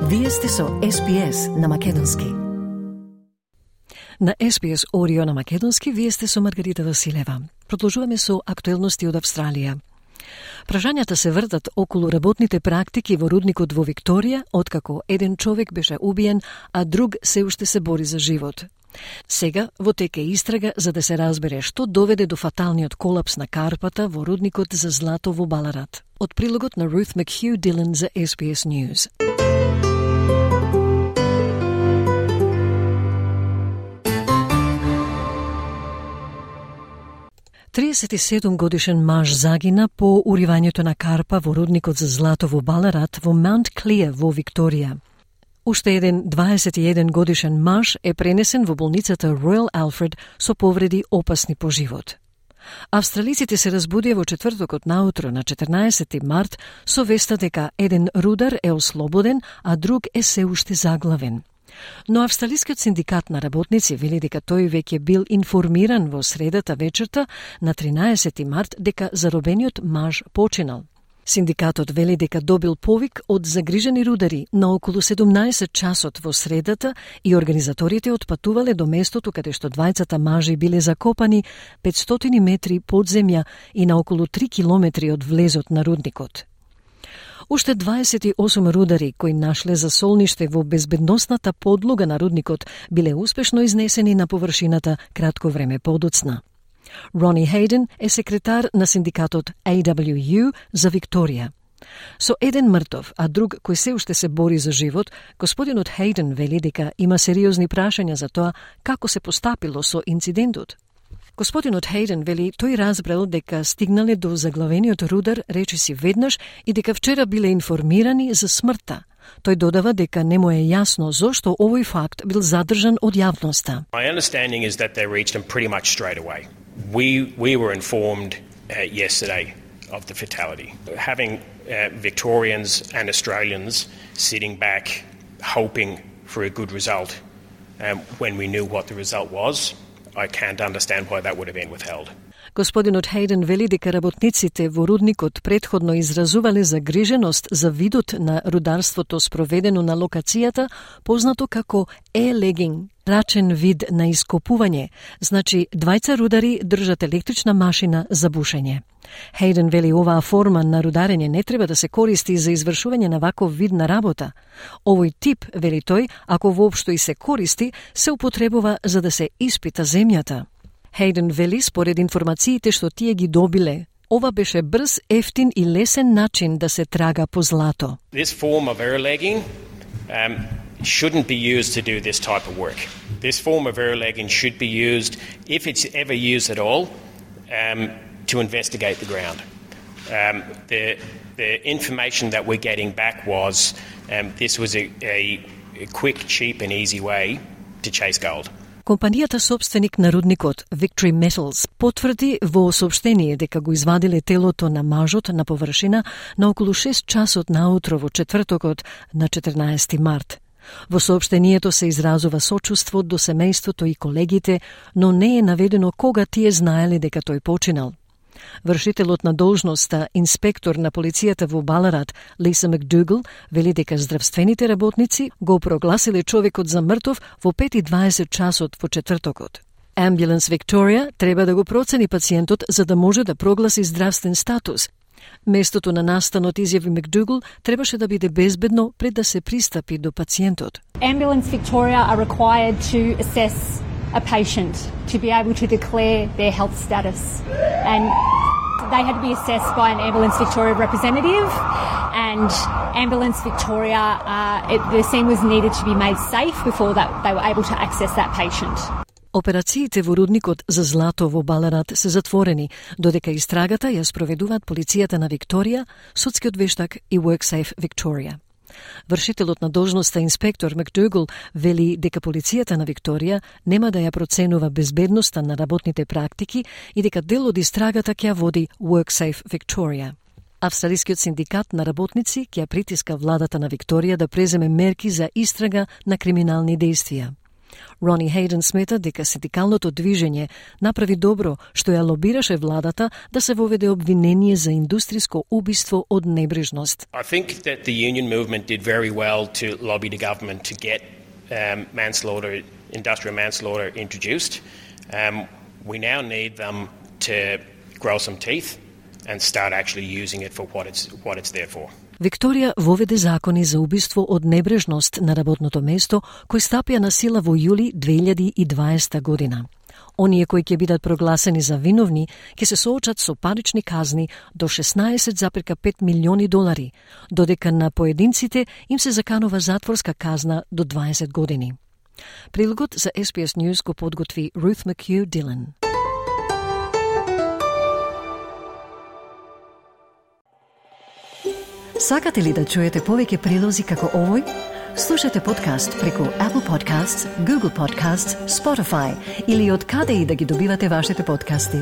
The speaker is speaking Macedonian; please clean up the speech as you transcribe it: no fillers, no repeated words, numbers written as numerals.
Вие сте со SPS на македонски. На SPS Audio на македонски вие сте со Маргарита Василева. Продолжуваме со актуелности од Австралија. Прашањата се вртат околу работните практики во рудникот во Викторија, откако еден човек беше убиен, а друг се уште се бори за живот. Сега во тек е истрага за да се разбере што доведе до фаталниот колапс на карпата во рудникот за злато во Баларат. Од прилогот на Ruth McHugh Dillon за SBS News. годишен маж загина по уривањето на карпа во рудникот за злато во Баларат во Маунт Клеер во Викторија. Уште еден 21 годишен маж е пренесен во болницата Royal Alfred со повреди опасни по живот. Австралиците се разбудија во четвртокот наутро на 14 март со веста дека еден рудар е ослободен, а друг е се уште заглавен. Но Австралискиот синдикат на работници вели дека тој веќе бил информиран во средата вечерта на 13 март дека заробениот маж починал. Синдикатот вели дека добил повик од загрижени рудари на околу 17 часот во средата и организаторите отпатувале до местото каде што двајцата мажи биле закопани 500 метри под земја и на околу 3 километри од влезот на рудникот. Уште 28 рудари кои нашле засолниште во безбедносната подлога на рудникот биле успешно изнесени на површината кратко време подоцна. Рони Хейден е секретар на синдикатот AWU за Викторија. Со еден мртов, а друг кој се уште се бори за живот, господинот Хейден вели дека има сериозни прашања за тоа како се постапило со инцидентот. Господинот Хейден вели тој разбрал дека стигнале до заглавениот рудар речиси веднаш и дека вчера биле информирани за смртта. Тој додава дека не му е јасно зошто овој факт бил задржан од јавноста. My understanding is that they reached him pretty much straight away. We were informed yesterday of the fatality. Having Victorians and Australians sitting back hoping for a good result when we knew what the result was, I can't understand why that would have been withheld. Господинот Хейден вели дека работниците во рудникот претходно изразувале загриженост за видот на рударството спроведено на локацијата, познато како e-legging, рачен вид на ископување, значи двајца рудари држат електрична машина за бушење. Хейден вели оваа форма на рударење не треба да се користи за извршување на ваков вид на работа. Овој тип, вели тој, ако воопшто и се користи, се употребува за да се испита земјата. Хейден вели според информациите што тие ги добиле, ова беше брз, ефтин и лесен начин да се трага по злато. This form of air-legging shouldn't be used to do this type of work. This form of air-legging should be used, if it's ever used at all, to investigate the ground. The information that we're getting back was this was a quick, cheap and easy way to chase gold. Компанијата собственик на рудникот Victory Metals потврди во соопштение дека го извадиле телото на мажот на површина на околу 6 часот наутро во четвртокот на 14 март. Во соопштението се изразува сочувство до семејството и колегите, но не е наведено кога тие знаеле дека тој починал. Вршителот на должноста, инспектор на полицијата во Баларат, Лиса Макдугал, вели дека здравствените работници го прогласиле човекот за мртов во 5:20 часот во четвртокот. Ambulance Victoria треба да го процени пациентот за да може да прогласи здравствен статус. Местото на настанот, изјави Макдугал, требаше да биде безбедно пред да се пристапи до пациентот. Ambulance Victoria are required to assess a patient to be able to declare their health status, and they had to be assessed by an Ambulance Victoria representative, and Ambulance Victoria, the scene was needed to be made safe before that they were able to access that patient. Операциите во рудникот за злато во Баларат се затворени, додека истрагата ја спроведуваат полицијата на Викторија, судскиот вештак и WorkSafe Victoria. Вршителот на должноста инспектор Макдугал вели дека полицијата на Викторија нема да ја проценува безбедноста на работните практики и дека дел од истрагата ќе води WorkSafe Victoria. Австралискиот синдикат на работници ќе притиска владата на Викторија да преземе мерки за истрага на криминални дејствија. Рони Хейден смета дека синдикалното движење направи добро што ја лобираше владата да се воведе обвинение за индустриско убиство од небрежност. I think that the union movement did very well to lobby the government to get industrial manslaughter introduced. We now need them to grow some teeth and start actually using it for what it's there for. Викторија воведе закони за убиство од небрежност на работното место, кои стапија на сила во јули 2020 година. Оние кои ќе бидат прогласени за виновни ќе се соочат со парични казни до $16,5 милиони, додека на поединците им се заканува затворска казна до 20 години. Прилогот за SBS News го подготви Ruth McHugh Dillon. Сакате ли да чуете повеќе прилози како овој? Слушате подкаст преку Apple Podcasts, Google Podcasts, Spotify или од каде и да ги добивате вашите подкасти.